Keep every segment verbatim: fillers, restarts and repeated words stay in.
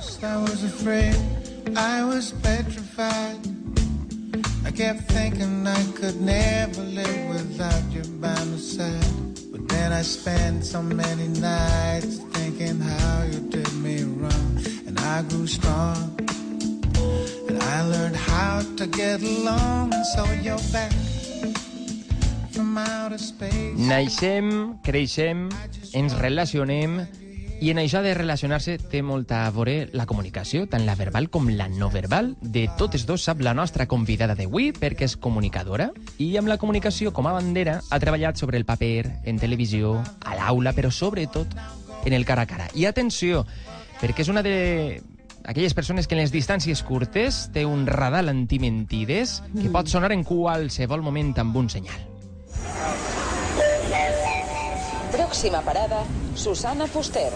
first I was afraid, I was petrified. I kept thinking I could never live without you by my side. But then I spent so many nights thinking how you did me wrong. And I grew strong, and I learned how to get along. And so you're back from outer space. Naixem, creixem, ens relacionem, i en això de relacionar-se té molta a veure la comunicació, tant la verbal com la no verbal. De totes dos sap la nostra convidada d'avui, perquè és comunicadora, i amb la comunicació com a bandera ha treballat sobre el paper, en televisió, a l'aula, però sobretot en el cara a cara. I atenció, perquè és una de aquelles persones que en les distàncies curtes té un radar antimentides que pot sonar en qualsevol moment amb un senyal. Pròxima parada, Susana Fuster.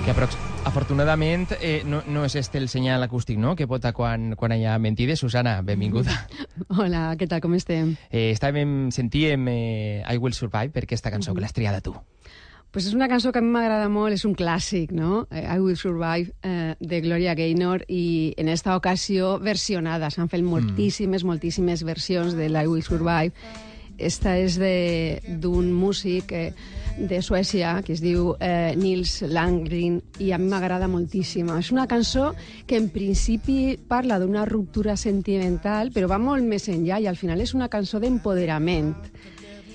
Que aprox afortunadament eh, no, no és este el senyal acústic, no?, que vota quan, quan hi ha mentides. Susana, benvinguda. Hola, què tal, com estem? Eh, estàvem, sentíem eh, I Will Survive per aquesta cançó, mm-hmm. que l'has triada tu. Pues és una cançó que a mi m'agrada molt, és un clàssic, no? I Will Survive, eh, de Gloria Gaynor, i en esta ocasió versionada. S'han fet moltíssimes, mm. moltíssimes versions de I Will Survive. Esta és d'un músic eh, de Suècia que es diu eh, Nils Landgren, i a mi m'agrada moltíssim. És una cançó que en principi parla d'una ruptura sentimental, però va molt més enllà, i al final és una cançó d'empoderament,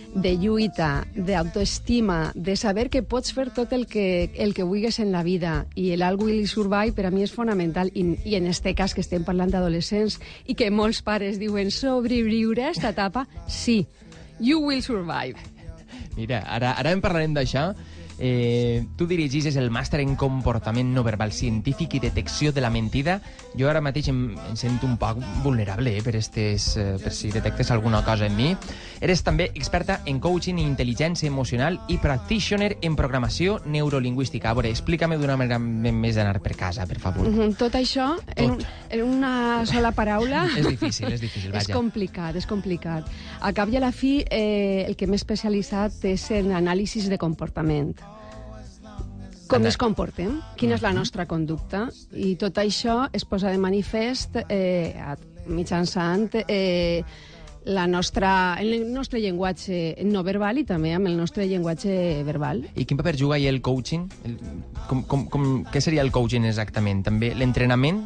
de lluita, d'autoestima, de saber que pots fer tot el que, el que vulguis en la vida, i el I Will Survive per a mi és fonamental, i, i en este cas que estem parlant d'adolescents i que molts pares diuen sobreviure a esta etapa, sí, you will survive. Mira, ara, ara en parlarem d'això. Eh, tu dirigis el màster en comportament no verbal científic i detecció de la mentida. Jo ara mateix em, em sento un poc vulnerable eh, per, estes, eh, per si detectes alguna cosa en mi. Eres també experta en coaching i intel·ligència emocional i practitioner en programació neurolingüística. A veure, explica-me d'una manera més d'anar per casa, per favor. Mm-hmm. Tot això tot. En, un, en una sola paraula... és difícil, és difícil, vaja. És complicat, és complicat. A cap i a la fi, eh, el que m'he especialitzat és en anàlisis de comportament. Com ens comportem, quina és la nostra conducta, i tot això es posa de manifest eh, mitjançant eh, la nostra, el nostre llenguatge no verbal i també amb el nostre llenguatge verbal. I quin paper juga el coaching? El, com, com, com, què seria el coaching exactament? També l'entrenament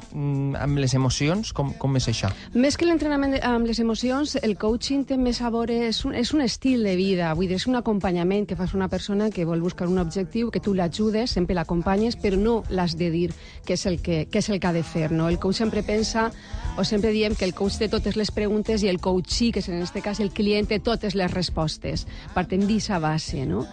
amb les emocions? Com, com és això? Més que l'entrenament amb les emocions, el coaching té més a veure, és un, és un estil de vida, vull dir, és un acompanyament que fas una persona que vol buscar un objectiu, que tu l'ajudes, sempre l'acompanyes, però no l'has de dir què és el que, què és el que ha de fer, no? El coach sempre pensa, o sempre diem que el coach té totes les preguntes i el coachee, que és en aquest cas el client, té totes les respostes. Partem d'aquesta base, no?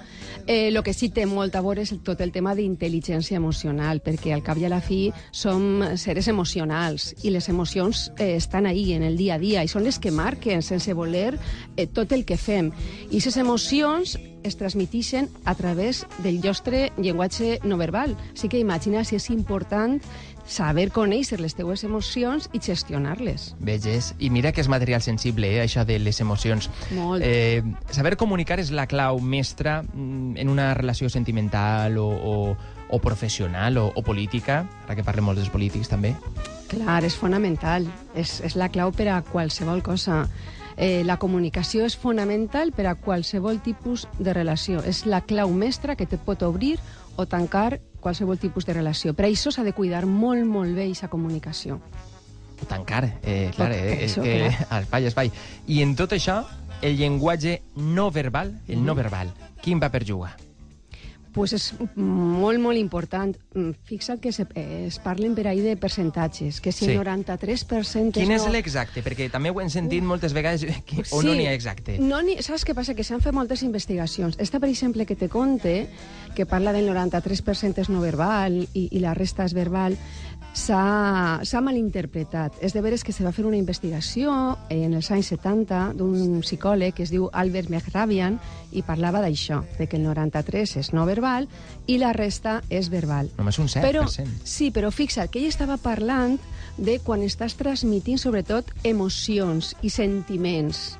Eh, lo que sí té molt a veure és tot el tema d'intel·ligència emocional, perquè al cap i a la fi som seres emocionals i les emocions eh, estan ahí en el dia a dia i són les que marquen sense voler eh, tot el que fem. I aquestes emocions es transmiteixen a través del nostre llenguatge no verbal. Així que imagina si és important saber conèixer les teues emocions i gestionar-les. Veges? I mira que és material sensible, eh, això de les emocions. Molt. Eh, saber comunicar és la clau mestra en una relació sentimental o, o, o professional o, o política, ara que parlem molt dels polítics també. Clar, és fonamental. És, és la clau per a qualsevol cosa. Eh, la comunicació és fonamental per a qualsevol tipus de relació. És la clau mestra que te pot obrir o tancar qualsevol tipus de relació. Per això s'ha de cuidar molt, molt bé aquesta comunicació. O tancar, eh, clar, eh, això, eh, clar. espai, espai. I en tot això, el llenguatge no verbal, el no verbal, quin paper juga? Pues és molt, molt important. Fixa't que se, eh, es parlen per ahí de percentatges, que si el Sí. noranta-tres per cent... Quin és no... l'exacte? Perquè també ho hem sentit moltes vegades que, o Sí, no n'hi ha exacte. No ni, saps què passa? Que s'han fet moltes investigacions. Esta, per exemple, que te conte, que parla del noranta-tres per cent és no verbal i, i la resta és verbal, s'ha malinterpretat. És de veres que se va fer una investigació en els anys setanta d'un psicòleg que es diu Albert Mehrabian i parlava d'això, de que el noranta-tres és no verbal i la resta és verbal. Només un set per cent. Però, sí, però fixa't que ell estava parlant de quan estàs transmitint sobretot emocions i sentiments.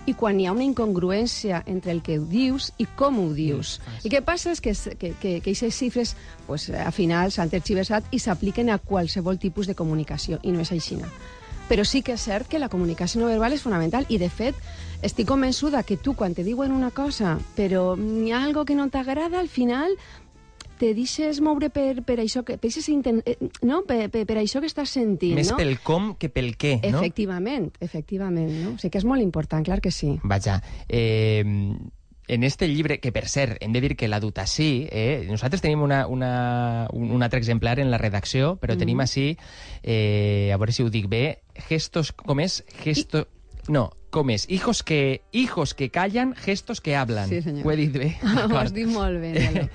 i quan hi ha una incongruència entre el que dius i com ho dius. Mm, I què passa és que que, que, que aquestes xifres pues, al final s'han tergiversat i s'apliquen a qualsevol tipus de comunicació, i no és així. Però sí que és cert que la comunicació no verbal és fonamental i, de fet, estic convençuda que tu, quan te diuen una cosa, però hi ha algo que no t'agrada, al final te deixes moure per, per això que per, intent, no? per, per, per això que estàs sentint. Més no? pel com que pel què, no? Efectivament, efectivament. No? O sigui que és molt important, clar que sí. Vaja, eh, en este llibre, que per cert, hem de dir que l'ha dut així, eh, nosaltres tenim una, una, un, un altre exemplar en la redacció, però mm. tenim així, eh, a veure si ho dic bé, gestos, com és? Gesto... I... No, com és? Hijos que, hijos que callan, gestos que hablan. Sí, senyor. Ho he dit bé? Ho has dit molt bé, Nelo.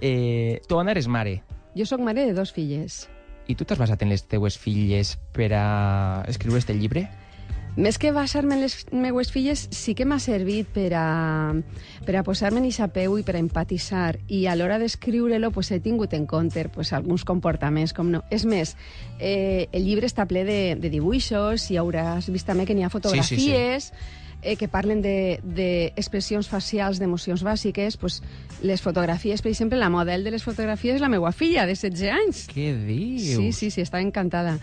eh, tu, Anna, eres mare. Jo sóc mare de dos filles. I tu t'has basat en les teues filles per a escriure este llibre? Més que basar-me en les meues filles, sí que m'ha servit per a, per a posar-me en eixa peu i per a empatitzar. I a l'hora d'escriure-lo pues, he tingut en compte pues, alguns comportaments, com no. És més, eh, el llibre està ple de, de dibuixos i hauràs vist també que n'hi ha fotografies... Sí, sí, sí. Eh, que parlen d'expressions de, de facials d'emocions bàsiques, pues, les fotografies, per exemple, la model de les fotografies és la meva filla, de setze anys. Què dius? Sí, sí, sí, estava encantada.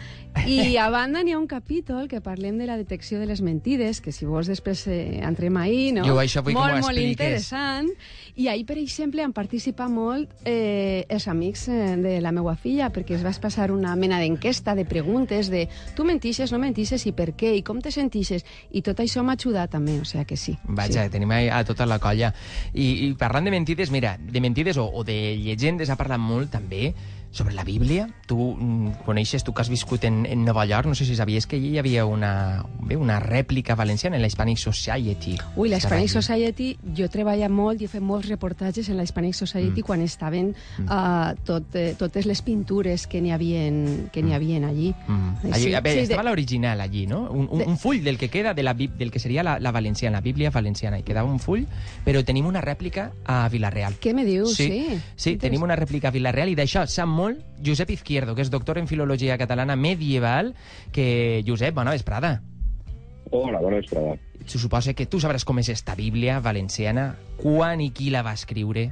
I a banda n'hi ha un capítol que parlem de la detecció de les mentides, que si vols després eh, entrem ahí, no? Jo això vull molt, que m'ho molt expliques. interessant. I ahir, per exemple, han participat molt eh, els amics eh, de la meva filla, perquè es vas passar una mena d'enquesta, de preguntes, de tu mentixes, no mentixes, i per què, i com te sentixes, i tot això m'ha ajudat també, o sigui que sí. Vaja, sí. tenim a tota la colla. I, i parlant de mentides, mira, de mentides o, o de llegendes ha parlat molt també sobre la Bíblia. Tu mm, coneixes, tu que has viscut en, en Nova York, no sé si sabies que allí hi havia una, bé, una rèplica valenciana en la Hispanic Society. Ui, la Hispanic Society, jo he treballat molt i he fet molts reportatges en la Hispanic Society mm. quan estaven mm. uh, tot, eh, totes les pintures que n'hi havia, que n'hi havia allí. Mm. allí Sí, a veure, sí, estava de... l'original allí, no? Un, un, De... un full del que queda de la, del que seria la, la valenciana, la Bíblia valenciana. I quedava un full, però tenim una rèplica a Vilareal. Què me dius? Sí, sí, sí tenim una rèplica a Vilareal i d'això sap molt Josep Izquierdo, que és doctor en Filologia Catalana Medieval, que, Josep, bona vesprada. Hola, bona vesprada. Se suposa que tu sabràs com és esta Bíblia valenciana, quan i qui la va escriure.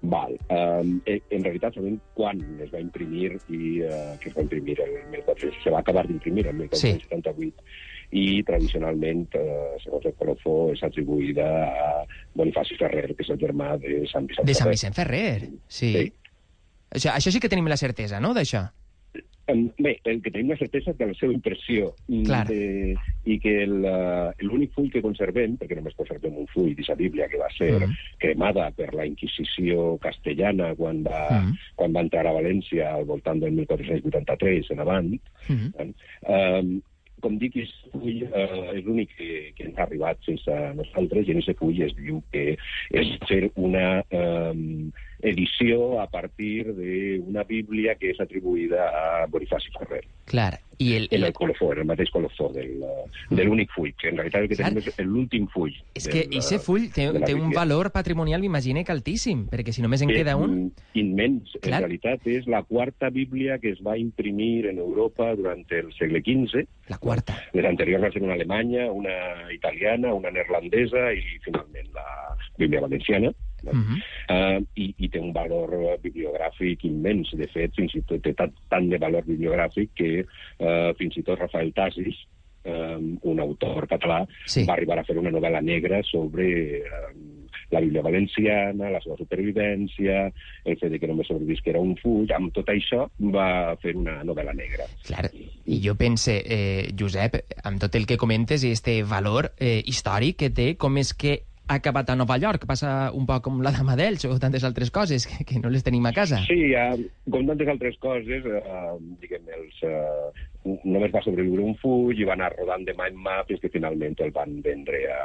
Val. Um, en realitat sabem quan es va imprimir i uh, que es va imprimir el mil quatre-cents. Se va acabar d'imprimir el mil quatre-cents setanta-vuit sí. I tradicionalment, uh, segons el colofó, és atribuïda a Bonifaci Ferrer, que és el germà de Sant Vicent Ferrer. De Sant Vicent Ferrer, sí. sí. Això, això sí que tenim la certesa, no?, d'això. Bé, el que tenim la certesa és de la seva impressió de, i que l'únic full que conservem, perquè només conservem un full d'aquesta Bíblia que va ser mm. cremada per la Inquisició castellana quan va, mm. quan va entrar a València al voltant del mil quatre-cents vuitanta-tres en avant, mm. eh, com dic, aquest full eh, és l'únic que, que ens ha arribat sense nosaltres, i en aquest full es diu que és fer una eh, edició a partir d'una Bíblia que és atribuïda a Bonifaci Ferrer. Clar. I el, el... En el colofó, en el mateix colofó del, de l'únic full, que en realitat el que Clar. tenim és l'últim full. És que aquest full té, té un valor patrimonial, m'imagine, que altíssim, perquè si només en que queda un... Immens. Clar. En realitat és la quarta Bíblia que es va imprimir en Europa durant el segle quinze. La quarta. Les anteriors van ser una alemanya, una italiana, una neerlandesa i finalment la Bíblia valenciana. No? Uh-huh. uh, i, i té un valor bibliogràfic immens. De fet, fins i tot té tant, tant de valor bibliogràfic que uh, fins i tot Rafael Tasis, um, un autor català, sí. va arribar a fer una novel·la negra sobre um, la Bíblia valenciana, la seva supervivència, el fet de que només sobrevisquera un full. Amb tot això va fer una novel·la negra. Clar, i jo pense, eh, Josep, amb tot el que comentes i este valor eh, històric que té, com és que ha acabat a Nova York, passa un poc com la Dama d'Elx o tantes altres coses que, que no les tenim a casa. Sí, uh, com tantes altres coses, uh, diguem, els, uh, només va sobreviure un full i va anar rodant de mà en mà fins que finalment el van vendre a,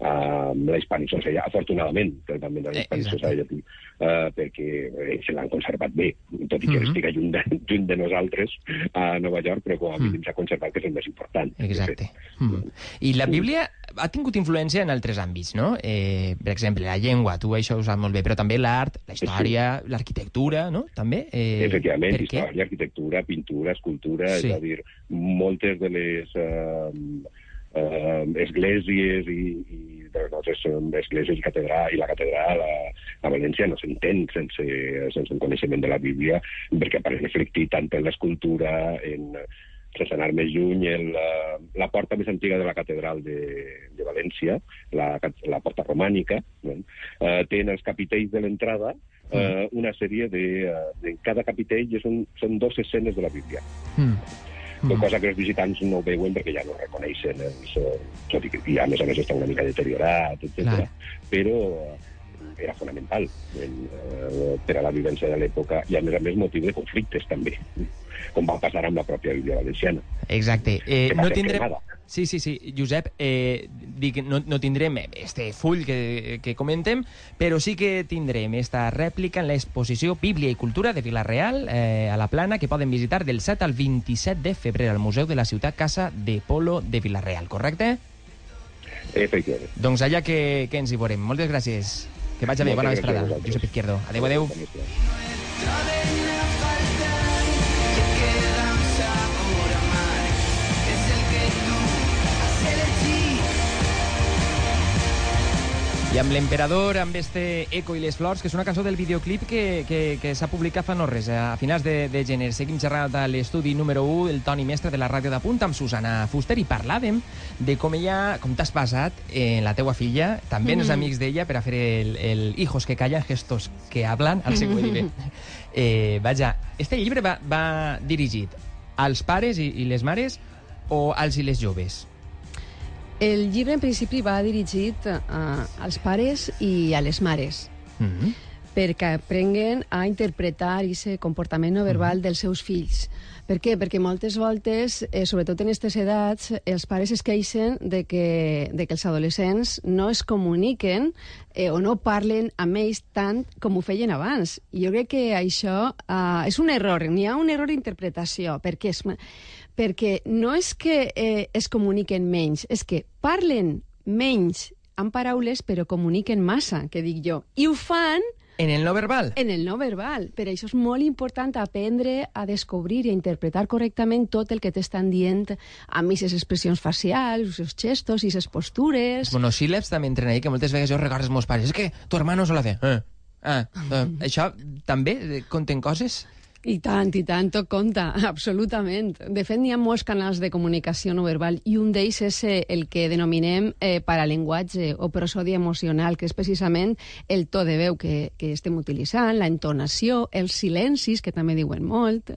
a la Hispanic Society. Afortunadament, el van vendre a la Hispanic Society, uh, perquè eh, se l'han conservat bé, tot i que mm-hmm. estigui lluny de, lluny de nosaltres a Nova York, però com a mínim mm. s'ha conservat, que és el més important. Exacte. Mm. I la Bíblia ha tingut influència en altres àmbits, no? Eh, per exemple, la llengua, tu això ho saps molt bé, però també l'art, la història, sí. l'arquitectura, no? També? Eh, Efectivament, història, arquitectura, pintura, escultura, sí. és a dir, moltes de les... Eh, eh, esglésies i, i de les nostres esglésies i, catedral, i la catedral a, a València no s'entén sense, sense un coneixement de la Bíblia, perquè apareix reflectit tant en l'escultura, en, sense anar més lluny, en la, la porta més antiga de la catedral de, de València, la, la porta romànica, no? eh, té en els capitells de l'entrada eh, una sèrie de, de... Cada capitell són, són dues escenes de la Bíblia. Mm. Mm. Cosa que els visitants no veuen perquè ja no reconeixen els, tot i que i a més a més està una mica deteriorat, etcètera. Però era fonamental en, eh, per a la vivència de l'època i a més a més motiu de conflictes també, com va passar amb la pròpia Bíblia valenciana. Exacte. Eh, no tindrem... Sí, sí, sí, Josep, eh, dic, no, no tindrem este full que, que comentem, però sí que tindrem esta rèplica en l'exposició Bíblia i Cultura de Vila-real eh, a la Plana, que poden visitar del set al vint-i-set de febrer al Museu de la Ciutat Casa de Polo de Vila-real, correcte? Efectivament. Doncs allà que, que ens hi veurem. Moltes gràcies. Que vagi bé, bona vesprada. Josep Izquierdo. Adéu, adéu. I amb l'Emperador, amb este Eco i les flors, que és una cançó del videoclip que, que, que s'ha publicat fa no res, a finals de, de gener. Seguim xerrant a l'estudi número u, el Toni Mestre de la ràdio de Punt, amb Susana Fuster, i parlàvem de com ella, com t'has passat en la teua filla, també en els amics d'ella, per a fer el, el hijos que callan, gestos que hablan, al seu bé. Eh, vaja, este llibre va, va dirigit als pares i, i les mares o als i les joves? El llibre, en principi, va dirigit uh, als pares i a les mares, mm-hmm. perquè aprenguen a interpretar aquest comportament no verbal mm-hmm. dels seus fills. Per què? Perquè moltes voltes, eh, sobretot en aquestes edats, els pares es queixen de que, de que els adolescents no es comuniquen eh, o no parlen amb ells tant com ho feien abans. I jo crec que això uh, és un error, n'hi ha un error d'interpretació, perquè és... perquè no és que eh, es comuniquen menys, és que parlen menys amb paraules però comuniquen massa, que dic jo. I ho fan... En el no verbal? En el no verbal. Per això és molt important aprendre a descobrir i a interpretar correctament tot el que t'estan dient amb aquestes expressions facials, els gestos i les postures. Els monosíl·labs també entren ahí, que moltes vegades jo recordo els meus pares. És que tu hermano se la fe. Eh. Ah, eh. Això també conten coses? I tant, i tant, tot compta, absolutament. De fet, n'hi ha molts canals de comunicació no verbal i un d'ells és el que denominem eh, parallenguatge o prosodi emocional, que és precisament el to de veu que, que estem utilitzant, la entonació, els silencis, que també diuen molt.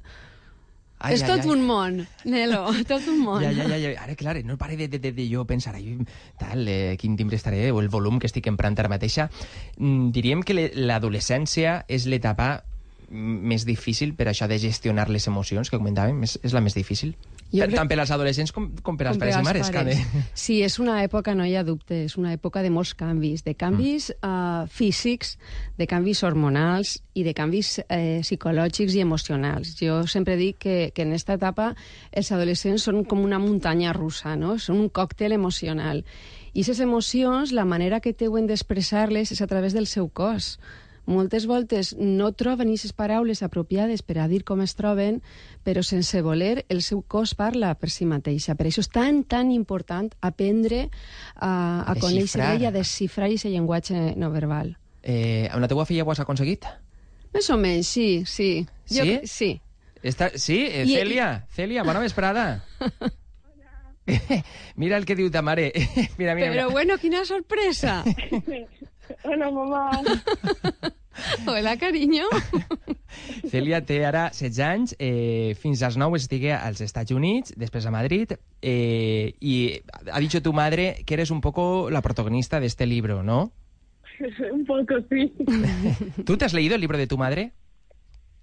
Ai, és ai, tot ai. un món, Nelo, tot un món. Ja, ja, ja, ja. Ara, clar, no pare de, de, de, de jo pensar, ai, tal, eh, quin timbre estaré, o el volum que estic emprant ara mateixa. Mm, diríem que l'adolescència és l'etapa més difícil per això de gestionar les emocions que comentàvem, és, és la més difícil. Per, tant per als adolescents com, com per als pares i mares. Pares. Sí, és una època, no hi ha dubte, és una època de molts canvis, de canvis mm. uh, físics, de canvis hormonals i de canvis eh, psicològics i emocionals. Jo sempre dic que, que en aquesta etapa els adolescents són com una muntanya russa, no? Són un còctel emocional. I aquestes emocions, la manera que teuen d'expressar-les és a través del seu cos. Moltes voltes no troben aquestes paraules apropiades per a dir com es troben, però sense voler el seu cos parla per si mateixa. Per això és tan, tan important aprendre a, a, a conèixer i a desxifrar aquest llenguatge no verbal. Eh, amb la teua filla ho has aconseguit? Més o menys, sí, sí. Sí? Jo, sí. Està, sí? Eh, I, Cèlia, i... Cèlia, bona vesprada. Mira el que diu ta mare. Mira, mira, però mira. Bueno, quina sorpresa. Hola, mamà. Hola, cariño. Cèlia té ara setze anys, eh, fins als nou estigué als Estats Units, després a Madrid, eh, y ha dicho tu madre que eres un poco la protagonista de este libro, ¿no? Un poco, sí. ¿Tú te has leído el libro de tu madre?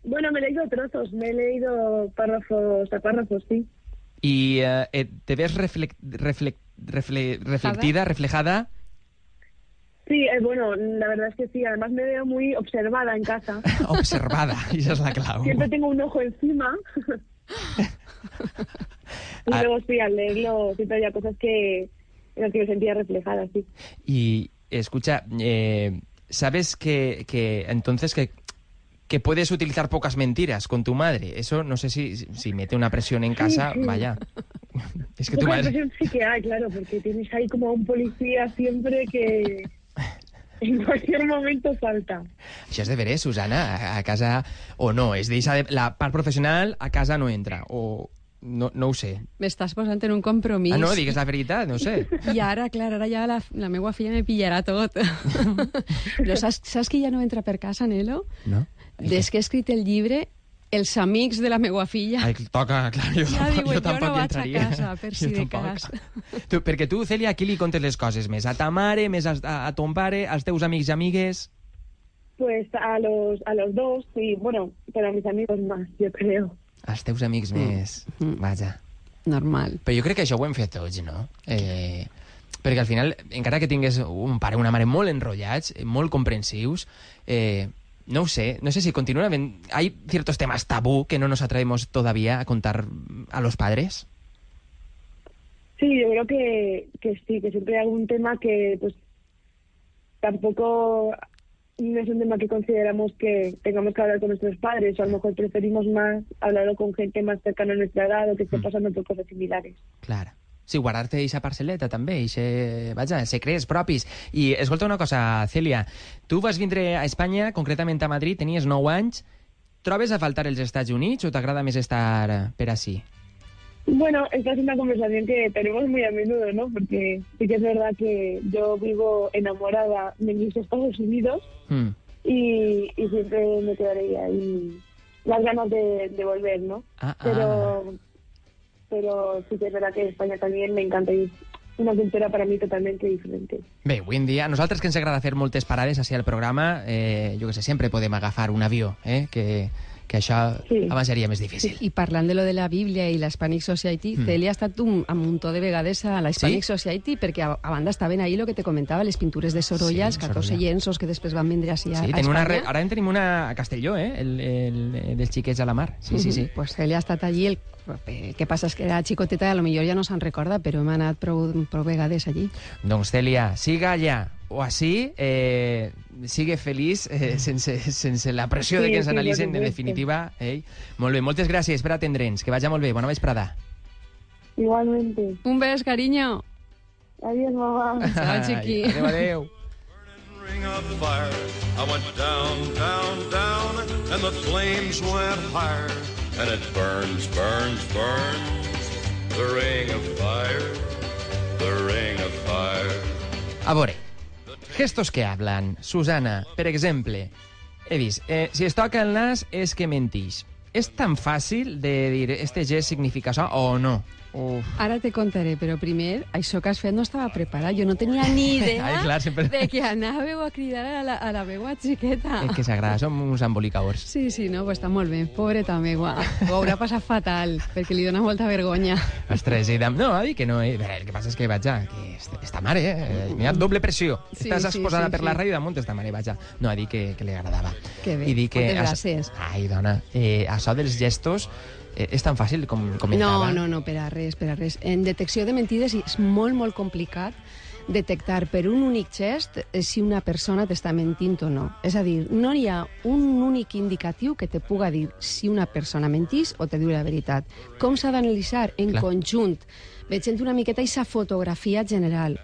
Bueno, me he leído trozos, me he leído párrafos a párrafos, sí. ¿Y eh, te ves refle refle refle reflectida, reflejada? Sí, eh, bueno, la verdad es que sí. Además me veo muy observada en casa. Observada, esa es la clave. Siempre tengo un ojo encima. Y ah. luego sí, al leerlo siempre había cosas que en las que me sentía reflejada, sí. Y escucha, eh, ¿sabes que, que entonces que, que puedes utilizar pocas mentiras con tu madre? Eso no sé si, si mete una presión en casa, sí, sí. Vaya. Es que tu Poca madre... impresión sí que hay, claro, porque tienes ahí como a un policía siempre que en cualquier momento salta. Això és de veres, Susana, a, a casa... O no, és deixar de... La part professional a casa no entra, o... No, no ho sé. M'estàs posant en un compromís. Ah, no, digues la veritat, no ho sé. I ara, clar, ara ja la, la meva filla me pillarà tot. Però saps, saps que ja no entra per casa, Nelo? No? Des que he escrit el llibre, els amics de la meva filla... Ai, toca, clar, jo, Ja tampoc, diuen, jo jo tampoc no hi vaig a entraria. casa, per si Jo de tampoc. cas. Tu, perquè tu, Cèlia, a qui li contes les coses més? A ta mare, més a, a ton pare, als teus amics i amigues? Pues a los, a los dos, sí, bueno, pero a mis amigos más, yo creo. Als teus amics més. Mm. Vaja. Normal. Però jo crec que això ho hem fet tots, no? Eh, perquè al final, encara que tingués un pare o una mare molt enrotllats, molt comprensius, eh, no ho sé, no sé si continúan havent... Hay ciertos temas tabú que no nos atrevemos todavía a contar a los padres. Sí, yo creo que, que sí, que siempre hay algún tema que pues tampoco no es un tema que consideramos que tengamos que hablar con nuestros padres, o a lo mejor preferimos más hablarlo con gente más cercana a nuestra edad o que esté pasando por cosas similares. Clar. Sí, guardar-te eixa parcel·leta també, eixe, vaja, secrets propis. I escolta una cosa, Cèlia, tu vas vindre a Espanya, concretament a Madrid, tenies nou anys. Trobes a faltar els Estats Units o t'agrada més estar per ací? Bueno, esta es una conversación que tenemos muy a menudo, ¿no? Porque sí que es verdad que yo vivo enamorada de mis Estados Unidos Mm. y, y siempre me quedaré ahí las ganas de, de volver, ¿no? Ah, Pero, ah. pero sí que es verdad que España también me encanta y es una cultura para mí totalmente diferente. Bé, avui en dia, a nosaltres que ens agrada fer moltes parades així al programa, eh, jo que sé, sempre podem agafar un avió, eh, que, que això Sí. abans seria més difícil. I parlant de lo de la Bíblia i l'Hispanic Society, mm. Cèlia ha estat un, un muntó de vegades a l'Hispanic Sí? Society, perquè a, a banda estaven ahí lo que te comentava, les pintures de Sorolla, Sí, els catorze Sorolla. llenços que després van vindre així a, Sí, a tenim una Espanya. re... ara en tenim una a Castelló, eh? El, el, el dels xiquets a la mar. Sí, sí, sí. Pues Cèlia ha estat allí, el, el que passa és que era xicoteta i a lo millor ja no se'n recorda, però hem anat prou, prou vegades allí. Doncs, Cèlia, siga allà o així, eh, sigue feliç eh, sense, sense la pressió Sí, de que ens sí, analitzen, por en supuesto. definitiva. Eh? Molt bé, moltes gràcies per atendre'ns. Que vagi molt bé. Bona vesprada. Igualmente. Un bes, cariño. Adiós, mamá. Chao, chiqui. Adéu, adéu. Ring of fire, I went down, down, down, and the flames went higher, and it burns, burns, burns, the ring of fire, the ring of fire. A veure, gestos que hablan. Susana, per exemple, he vist, eh, si es toca el nas és que mentix. És tan fàcil de dir este gest significa això o no? Uf. Ara te contaré, però primer, això que has fet no estava preparat. Jo no tenia ni idea Ai, clar, sempre- de que anàveu a cridar a la, a la meua xiqueta. És que s'agrada, som uns embolicaors. Sí, sí, no, pues està molt bé. Pobreta meua. Ho haurà passat fatal, perquè li dona molta vergonya. Ostres, i dam... no, ha dit que no. Eh? El que passa és que, vaja, que est- esta mare, eh? N'hi ha doble pressió. Sí, Estàs sí, exposada sí, per sí. la ràdio damunt esta mare, vaja. No, ha dit que, que li agradava. Que bé, I dir que... moltes això- gràcies. Ai, dona, eh, això dels gestos eh, és tan fàcil com comentava. No, no, no, per a res, per a res. En detecció de mentides és molt, molt complicat detectar per un únic gest eh, si una persona t'està mentint o no. És a dir, no hi ha un únic indicatiu que te puga dir si una persona mentís o te diu la veritat. Com s'ha d'analitzar? En Clar. conjunt. Veient una miqueta aquesta fotografia general.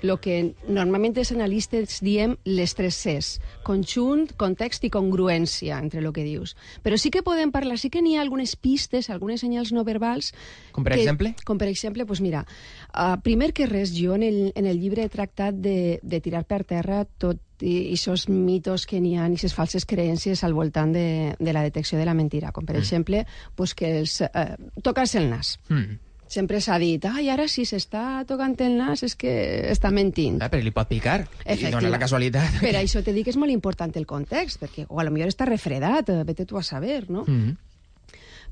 Lo que normalment els analistes diem les tres Cs. Conjunt, context i congruència entre el que dius. Però sí que podem parlar, sí que n'hi ha algunes pistes, algunes senyals no verbals... Com per que, exemple? Com per exemple, pues mira, uh, primer que res, jo en el, en el llibre he tractat de, de tirar per terra tot i aquests mitos que n'hi ha i aquestes falses creences al voltant de, de la detecció de la mentira. Com per Mm. exemple, pues que els, uh, tocar-se el nas. Mm. Sempre s'ha dit, ai, ara si s'està tocant el nas és que està mentint. Ah, però li pot picar. I Efectiva. dona la casualitat. Per això te dic que és molt important el context, perquè o a lo millor està refredat, eh, vete tu a saber, no? Mm.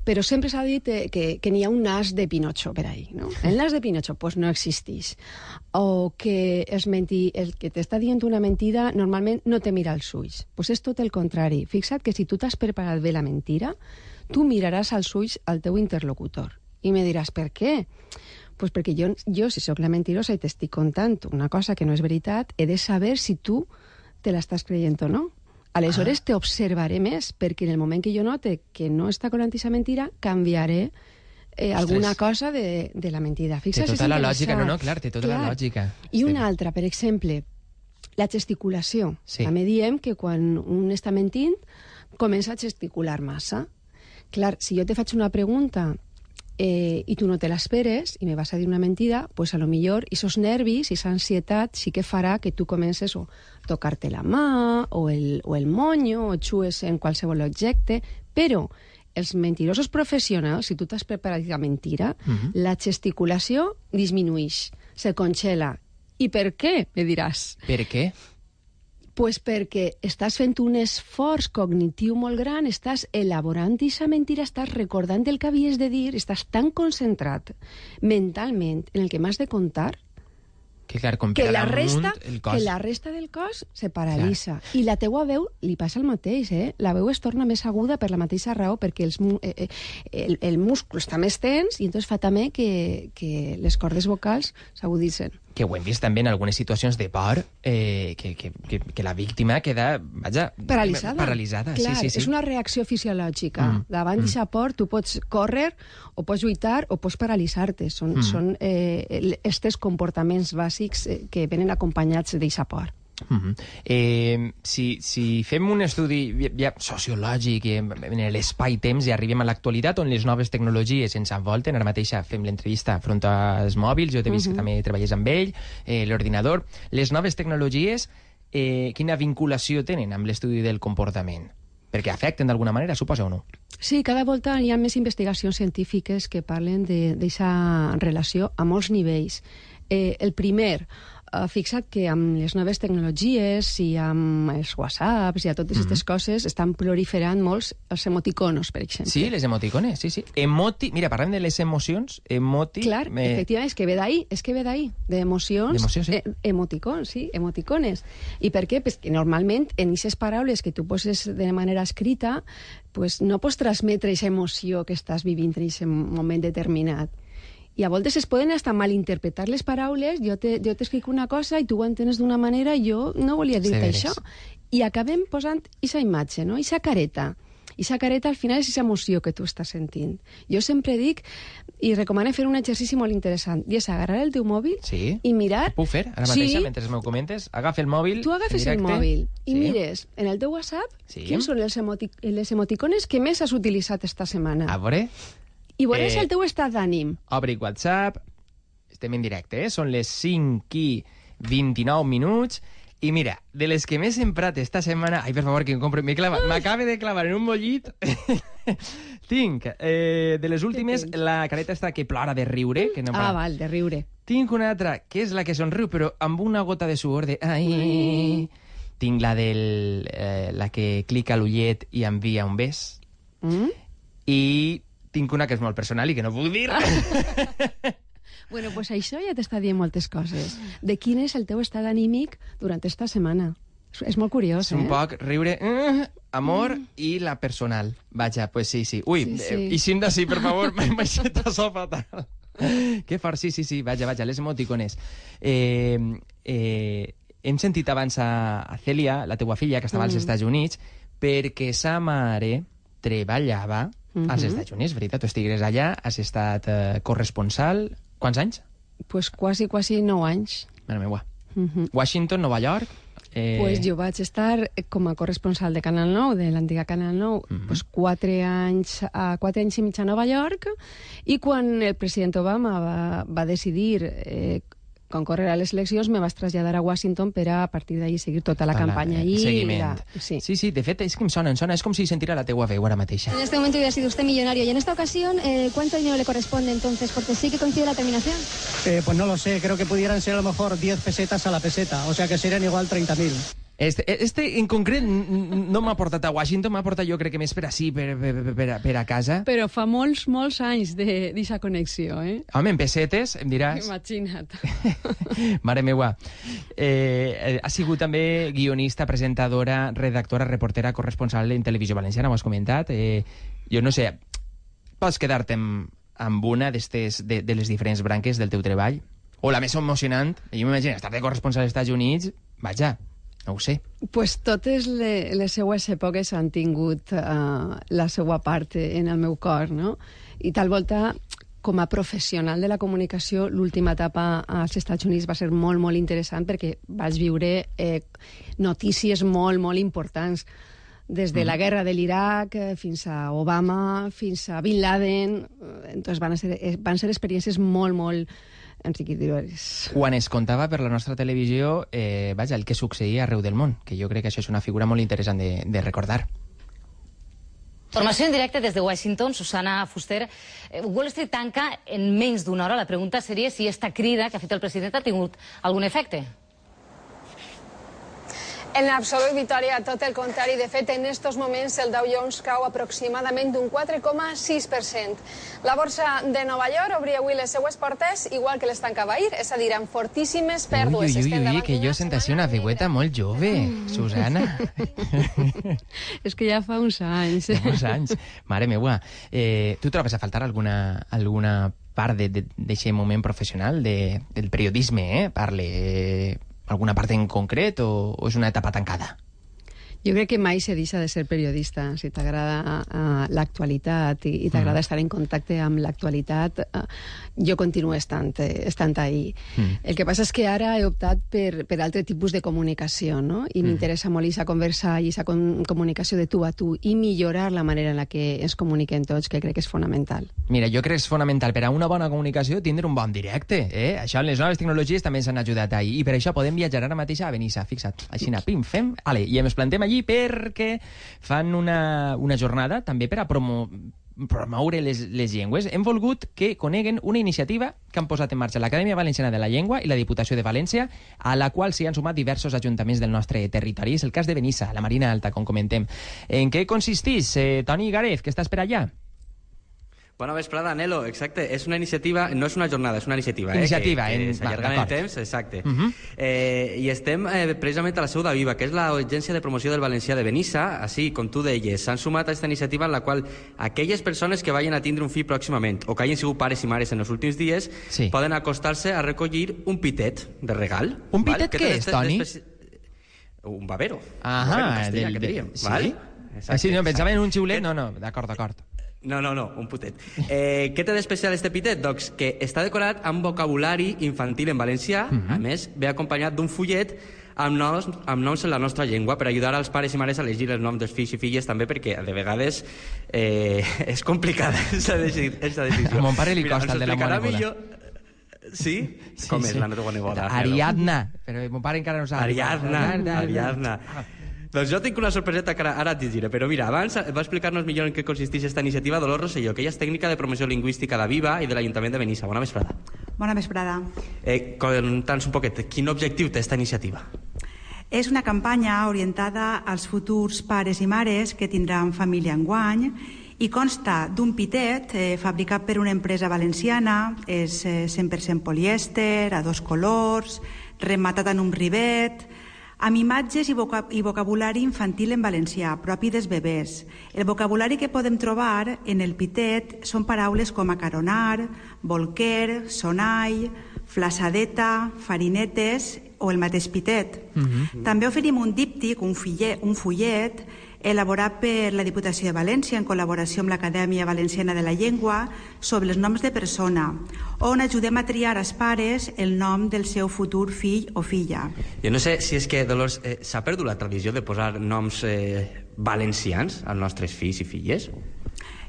Però sempre s'ha dit eh, que, que n'hi ha un nas de Pinocho per ahí, no? El nas de Pinocho, pues no existeix. O que es menti, el que t'està dient una mentida normalment no te mira als ulls. Pues és tot el contrari. Fixa't que si tu t'has preparat bé la mentira, tu miraràs als ulls al teu interlocutor. I me diràs, per què? Pues perquè jo, jo si sóc la mentirosa i t'estic contant una cosa que no és veritat, he de saber si tu te l'estàs creient o no. Aleshores ah. t'observaré més, perquè en el moment que jo note que no està contant aquesta mentira, canviaré eh, alguna cosa de, de la mentida. Fixa, té tota la lògica, no, no, clar, té tota clar. la lògica. I una altra, per exemple, la gesticulació. Sí. També diem que quan un està mentint, comença a gesticular massa. Clar, si jo te faig una pregunta eh, i tu no te l'esperes i me vas a dir una mentida, pues a lo millor esos nervis i esa ansietat sí que farà que tu comences o a tocar-te la mà o el, o el monyo o xues en qualsevol objecte, però els mentirosos professionals, si tu t'has preparat la mentira, uh-huh. la gesticulació disminueix, se congela. I per què, me diràs? Per què? Pues perquè estàs fent un esforç cognitiu molt gran, estàs elaborant aquesta mentira, estàs recordant el que havies de dir, estàs tan concentrat mentalment en el que m'has de contar que, clar, com que, per la damunt resta, el cos... que la resta del cos se paralitza. Clar. I la teua veu li passa el mateix, eh? La veu es torna més aguda per la mateixa raó, perquè els, eh, el, el múscul està més tens i entonces fa també que, que les cordes vocals s'aguditzen. Que ho hem vist també en algunes situacions de por, eh, que, que, que, que la víctima queda, vaja... Paralitzada. Paralitzada, clar, sí, sí, sí. És una reacció fisiològica. Mm. Davant mm. d'aquesta por tu pots córrer, o pots lluitar, o pots paralitzar-te. Són, mm. són eh, estos comportaments bàsics eh, que venen acompanyats d'aquesta por. Mm-hmm. eh, si, si fem un estudi ja, sociològic en l'espai-temps i arribem a l'actualitat on les noves tecnologies ens envolten, ara mateix fem l'entrevista front als mòbils, jo t'he vist mm-hmm. que també treballes amb ell, eh, l'ordinador, les noves tecnologies eh, quina vinculació tenen amb l'estudi del comportament? Perquè afecten d'alguna manera, suposa o no? Sí, cada volta hi ha més investigacions científiques que parlen d'aquesta relació a molts nivells. Eh, el primer, Uh, fixa't que amb les noves tecnologies i amb els whatsapps i a totes aquestes mm-hmm. coses estan proliferant molts els emoticonos, per exemple. Sí, les emoticones, sí, sí. Emoti... Mira, parlem de les emocions, emoti... Clar, me... efectivament, és que ve d'ahí, és que ve d'ahí, d'emocions, sí. eh, emoticons, sí, emoticones. I per què? Pues que normalment en aquestes paraules que tu poses de manera escrita, pues no pots transmetre aquesta emoció que estàs vivint en aquest moment determinat. I a voltes es poden hasta malinterpretar les paraules, jo t'explico te, una cosa i tu ho entens d'una manera, jo no volia dir-te això. I acabem posant aquesta imatge, no? Aquesta careta. Aquesta careta al final és aquesta emoció que tu estàs sentint. Jo sempre dic, i recomano fer un exercici molt interessant, i és agarrar el teu mòbil sí. i mirar... Ho puc fer ara mateix, sí. mentre m'ho comentes? Agafa el mòbil... Tu agafes el mòbil i sí. mires en el teu WhatsApp sí. quins són les, emoti les emoticones que més has utilitzat esta setmana. A veure... I veuràs eh, el teu estat d'ànim. Obric WhatsApp, estem en directe, eh? Són les cinc i vint-i-nou minuts, i mira, de les que més he emprat esta setmana... Ai, per favor, que em compro... M'acaba de clavar en un mollit... Tinc, eh, de les últimes, la careta està que plora de riure. Que no ah, val, de riure. Tinc una altra, que és la que somriu, però amb una gota de suor de... Ai... Ai. Tinc la del... Eh, la que clica l'ullet i envia un bes. Mm? I... tinc una que és molt personal i que no puc dir. Bueno, pues això ja t'està dient moltes coses. De quin és el teu estat anímic durant esta setmana. És, és molt curiós, és eh? És un poc riure, uh, amor mm. i la personal. Vaja, pues sí, sí. Ui, sí, sí. Eh, i cinda sí, per favor, m'he baixat a so fatal. Que fort, sí, sí, sí. Vaja, vaja, les emoticones. Eh, eh, hem sentit abans a, a Cèlia, la teua filla, que estava mm. als Estats Units, perquè sa mare treballava mm-hmm. als Estats Units, veritat? Tu estigues allà, has estat eh, corresponsal... Quants anys? Pues quasi, quasi nou anys. Mare meua. Mm-hmm. Washington, Nova York... Eh... Pues jo vaig estar com a corresponsal de Canal nou, de l'antiga Canal nou, mm-hmm. pues quatre anys, a quatre anys i mig a Nova York, i quan el president Obama va, va decidir eh, concórrer a les eleccions, me vas traslladar a Washington per a, a partir d'ahí seguir tota la campaña. El seguiment. La... Sí. sí, sí, de fet, és que em sona, em sona, és com si sentira la teua veu ara mateixa. En este momento hubiera sido usted millonario, y en esta ocasión, eh, ¿cuánto dinero le corresponde entonces? Porque sí que coincide la terminación. Eh, pues no lo sé, creo que pudieran ser a lo mejor diez pesetas a la peseta, o sea que serían igual treinta mil. Este, este en concret no m'ha portat a Washington, m'ha portat jo crec que més per ací, per, per, per, per a casa. Però fa molts, molts anys d'aquesta connexió, eh? Home, en pessetes, em diràs. Imagina't. Mare meua. Eh, ha sigut també guionista, presentadora, redactora, reportera, corresponsal en Televisió Valenciana, ho has comentat. Eh, jo no sé, pots quedar-te amb, amb una d'estes, de, de les diferents branques del teu treball? O la més emocionant, jo m'imagino, estar de corresponsal als Estats Units, vaja, no ho sé. Pues totes le, les seues èpoques han tingut uh, la seva part en el meu cor, no? I tal volta com a professional de la comunicació, l'última etapa als Estats Units va ser molt, molt interessant perquè vaig viure eh, notícies molt, molt importants. Des de la guerra de l'Iraq fins a Obama, fins a Bin Laden. Entonces van, a ser, van ser experiències molt, molt enriquidores. Quan es contava per la nostra televisió, eh, vaja, el que succeïa arreu del món, que jo crec que això és una figura molt interessant de, de recordar. Informació en directe des de Washington, Susana Fuster. Wall Street tanca en menys d'una hora. La pregunta seria si esta crida que ha fet el president ha tingut algun efecte. En absolut, Victòria, tot el contrari. De fet, en estos moments el Dow Jones cau aproximadament d'un quatre coma sis per cent. La borsa de Nova York obria avui les seues portes igual que les tancava ahir, és a dir, amb fortíssimes pèrdues. Ui, ui, ui, ui, que jo sent així una veueta molt jove, Susana. És que ja fa uns anys. Fa uns anys. Mare meua. Eh, tu trobes a faltar alguna, alguna part d'aquest moment professional de, del periodisme, eh? Parle... alguna part en concret o, o és una etapa tancada? Jo crec que mai se deixa de ser periodista. Si t'agrada uh, l'actualitat i, i t'agrada mm. estar en contacte amb l'actualitat, uh, jo continuo estant, estant ahí. Mm. El que passa és que ara he optat per, per altre tipus de comunicació, no? I mm. m'interessa molt aquesta conversa i aquesta com, comunicació de tu a tu i millorar la manera en la que ens comuniquem tots, que crec que és fonamental. Mira, jo crec que és fonamental per a una bona comunicació tindre un bon directe, eh? Això, les noves tecnologies també ens han ajudat ahir, i per això podem viatjar ara mateix a Benissa, fixa't, així, pim, fem, ale, i ens plantem allí perquè fan una, una jornada també per a promo, promoure les, les llengües. Hem volgut que coneguen una iniciativa que han posat en marxa l'Acadèmia Valenciana de la Llengua i la Diputació de València, a la qual s'hi han sumat diversos ajuntaments del nostre territori. És el cas de Benissa, la Marina Alta, com comentem. En què consisteix, eh, Toni Garez, que estàs per allà? Bona vesprada, Nelo, exacte. És una iniciativa, no és una jornada, és una iniciativa. Iniciativa, eh, que, que en... s'allarga en el temps, exacte. Uh -huh. eh, I estem eh, precisament a la seu d'Aviva, que és l'Agència de Promoció del Valencià de Benissa. Així, com tu deies, s'han sumat a aquesta iniciativa en la qual aquelles persones que vagin a tindre un fill pròximament o que hagin sigut pares i mares en els últims dies sí. poden acostar-se a recollir un pitet de regal. Un pitet què és, Toni? Un babero. Ah, un babero en castellà, del... que diríem. Sí? Val? Exacte, sí, no, pensava en un xiulet. No, no, d'acord, d'acord. No, no, no, un putet. Eh, què té d'especial este pitet? Doncs que està decorat amb vocabulari infantil en valencià, uh-huh. a més, ve acompanyat d'un fullet amb noms, amb noms en la nostra llengua per ajudar als pares i mares a elegir els noms dels fills i filles també, perquè de vegades eh, és complicada aquesta decisió. A mon pare li costa el de la meva neboda. Sí? sí? Com sí. és la meva neboda? Ariadna, però mon pare encara no sap. Ariadna, Ariadna. Ariadna. Doncs jo tinc una sorpreseta que ara, ara et diré, però mira, abans va explicar-nos millor en què consisteix aquesta iniciativa Dolors Rosselló, que ella és tècnica de promoció lingüística d'Aviva i de l'Ajuntament de Benissa. Bona vesprada. Bona vesprada. Eh, Conta'ns un poquet, quin objectiu té aquesta iniciativa? És una campanya orientada als futurs pares i mares que tindran família enguany i consta d'un pitet eh, fabricat per una empresa valenciana, és eh, cent per cent polièster, a dos colors, rematat en un rivet, amb imatges i, vocab i vocabulari infantil en valencià, propi dels bebès. El vocabulari que podem trobar en el pitet són paraules com acaronar, bolquer, sonall, flassadeta, farinetes o el mateix pitet. Uh-huh. També oferim un díptic, un, fillet, un fullet, elaborat per la Diputació de València en col·laboració amb l'Acadèmia Valenciana de la Llengua sobre els noms de persona, on ajudem a triar als pares el nom del seu futur fill o filla. Jo no sé si és que, Dolors, eh, s'ha perdut la tradició de posar noms eh, valencians als nostres fills i filles?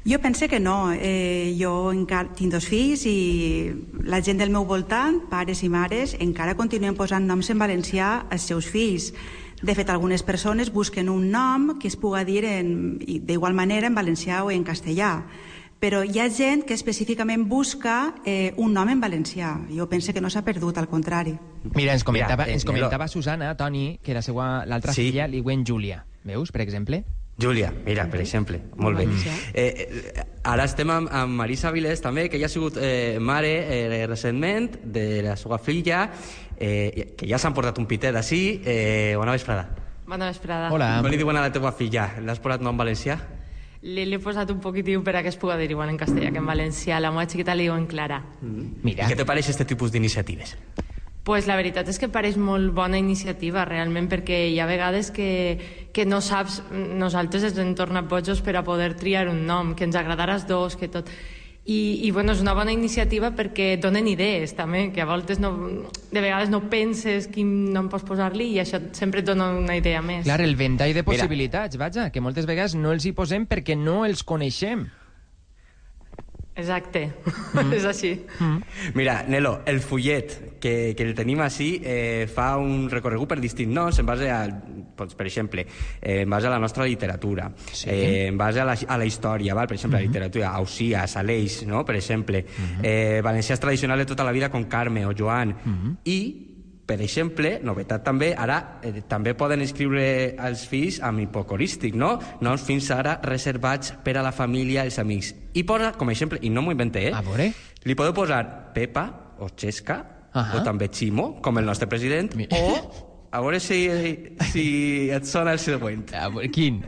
Jo pense que no. Eh, jo encara tinc dos fills i la gent del meu voltant, pares i mares, encara continuen posant noms en valencià als seus fills. De fet, algunes persones busquen un nom que es puga dir d'igual manera en valencià o en castellà. Però hi ha gent que específicament busca eh, un nom en valencià. Jo penso que no s'ha perdut, al contrari. Mira, ens comentava, Mira, ens comentava Susana, Toni, que la seva l'altra sí. filla li diuen Júlia. Veus, per exemple? Júlia, mira, per exemple, molt bé. Eh, eh, ara estem amb, amb Marisa Vilés, també, que ja ha sigut eh, mare eh, recentment de la seva filla, eh, que ja s'han portat un pitet així. Eh, bona vesprada. Bona vesprada. Hola. Com li diuen a la teva filla? L'has posat nom valencià? Li he posat un poquitiu per a que es puga dir igual en castellà que en valencià. La meva xiquita li diuen Clara. Mm. Mira. I què te pareix aquest tipus d'iniciatives? Pues la veritat és que pareix molt bona iniciativa, realment, perquè hi ha vegades que, que no saps, nosaltres ens hem tornat bojos per a poder triar un nom, que ens agradara els dos, que tot... I, i bueno, és una bona iniciativa perquè donen idees també, que a voltes no, de vegades no penses quin nom pots posar-li i això sempre et dona una idea més. Clar, el ventall de possibilitats, vaja, que moltes vegades no els hi posem perquè no els coneixem. Exacte, mm. és així. Mm. Mira, Nelo, el fullet que, que el tenim així eh, fa un recorregut per distints noms en base a, doncs, per exemple, eh, en base a la nostra literatura, sí. eh, en base a la, a la història, val? Per exemple, mm -hmm. la literatura, Ausiàs, Aleix, no? Per exemple, mm -hmm. eh, valencians tradicionals de tota la vida com Carme o Joan, mm -hmm. i per exemple, novetat també, ara eh, també poden inscriure els fills amb hipocorístic, no? Noms fins ara reservats per a la família i els amics. I posa, com a exemple, i no m'ho inventé, eh? A veure. Li podeu posar Pepa o Xesca, uh -huh. o també Ximo, com el nostre president, Mi... o, a veure si, si et sona el següent. A veure, quin?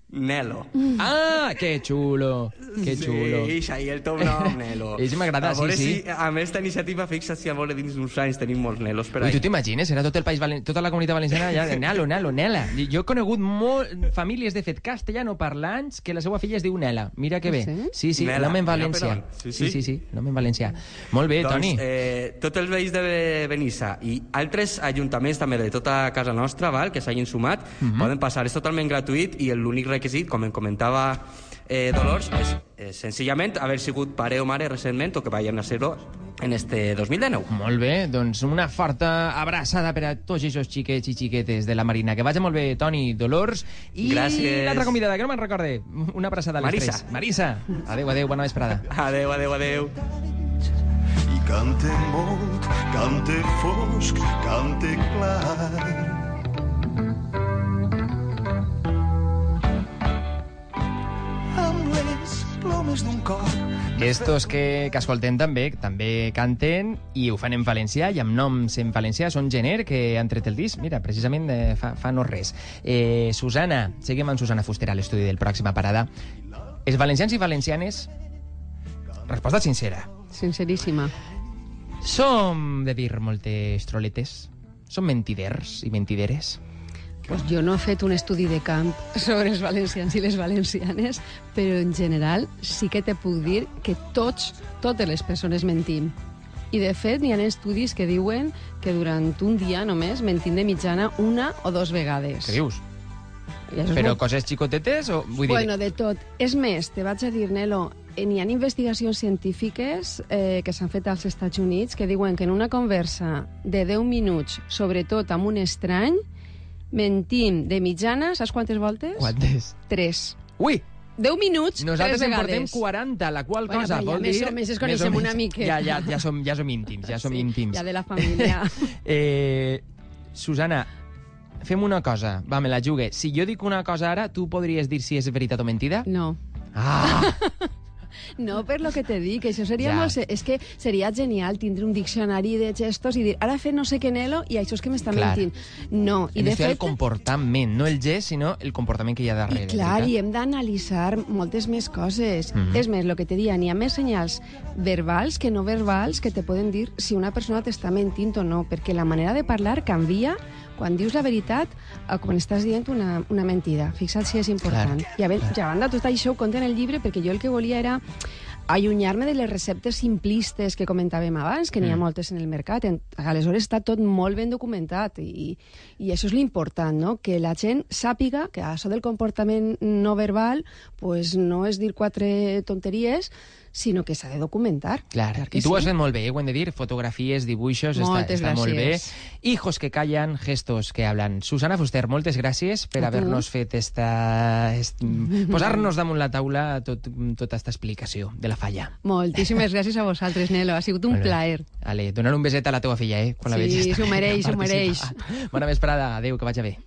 Nelo. Ah, que xulo, que xulo. Sí, això, el teu nom, Nelo. Ells m'agrada, sí, sí. Si, amb aquesta iniciativa, fixa't si a veure dins d'uns anys tenim molts Nelos per ahí. Ui, tu t'imagines? Era tot el país, valen... tota la comunitat valenciana ja, Nelo, Nelo, Nela. Jo he conegut molt famílies, de fet, castellano-parlants, que la seva filla es diu Nela. Mira que bé. Sí? Sí, sí, Nela, nom en valencià. Nela, sí, sí, sí, sí, nom en valencià. Molt bé, doncs, Toni. Eh, tots els veïns de Benissa i altres ajuntaments també de tota casa nostra, val, que s'hagin sumat, uh -huh. poden passar. És totalment gratuït i l'únic requisit, com em comentava Eh, Dolors, és eh, senzillament haver sigut pare o mare recentment o que vagin a ser-ho en este dos mil dinou. Molt bé, doncs una forta abraçada per a tots aquests xiquets i xiquetes de la Marina. Que vagi molt bé, Toni, Dolors. I gràcies. L'altra convidada, que no me'n recorde. Una abraçada a les Marisa. tres. Marisa. Adéu, adéu, bona vesprada. Adéu, adéu, adéu. I cante molt, cante fosc, cante clar. D'un cor. Estos que, que escolten també, també canten i ho fan en valencià i amb noms en valencià. Són Gener, que han tret el disc, mira, precisament eh, fa, fa no res. Eh, Susana, seguim amb Susana Fuster a l'estudi del Pròxima Parada. Els valencians i valencianes, resposta sincera. Sinceríssima. Som de dir moltes troletes? Som mentiders i mentideres? Pues jo no he fet un estudi de camp sobre els valencians i les valencianes, però en general sí que te puc dir que tots, totes les persones mentim. I de fet n'hi ha estudis que diuen que durant un dia només mentim de mitjana una o dos vegades. Què dius? Però molt... coses xicotetes o... Vull dir... Bueno, de tot. És més, te vaig a dir, Nelo, n'hi ha investigacions científiques eh, que s'han fet als Estats Units que diuen que en una conversa de deu minuts, sobretot amb un estrany, mentim de mitjana, saps quantes voltes? Quantes? Tres. Ui! deu minuts, nosaltres tres vegades. Nosaltres en portem quaranta, la qual bueno, cosa vol més dir... O més es coneixem una mica. Ja, ja, ja, som, ja som íntims, ja som sí, íntims. Ja de la família. eh, Susana, fem una cosa, va, me la jugue. Si jo dic una cosa ara, tu podries dir si és veritat o mentida? No. Ah! No, per lo que te dic, això seria ja. molt... És que seria genial tindre un diccionari de gestos i dir, ara fer no sé què, Nelo, i això és que m'està mentint. No, i hem de fet... el fet... comportament, no el gest, sinó el comportament que hi ha darrere. I clar, i hem d'analitzar moltes més coses. Mm -hmm. És més, el que te dia, n'hi ha més senyals verbals que no verbals que te poden dir si una persona t'està mentint o no, perquè la manera de parlar canvia quan dius la veritat o quan estàs dient una, una mentida. Fixa't si és important. Clar, I a, clar. a banda, tot això ho conta en el llibre perquè jo el que volia era allunyar-me de les receptes simplistes que comentàvem abans, que n'hi ha mm. moltes en el mercat. Aleshores està tot molt ben documentat i, i això és l'important, no? Que la gent sàpiga que això del comportament no verbal pues, no és dir quatre tonteries, sinó que s'ha de documentar. Clar, clar i tu sí. Ho has fet molt bé, eh? Ho hem de dir, fotografies, dibuixos, moltes està, està molt bé. gràcies. Hijos que callan, gestos que hablan. Susana Fuster, moltes gràcies per haver-nos fet esta... Est... posar-nos damunt la taula tot, tota aquesta explicació de la falla. Moltíssimes gràcies a vosaltres, Nelo. Ha sigut un plaer. Ale, donar un beset a la teva filla, eh? Quan sí, la vegis. s'ho mereix, s'ho mereix. Bona vesprada, adéu, que vagi bé.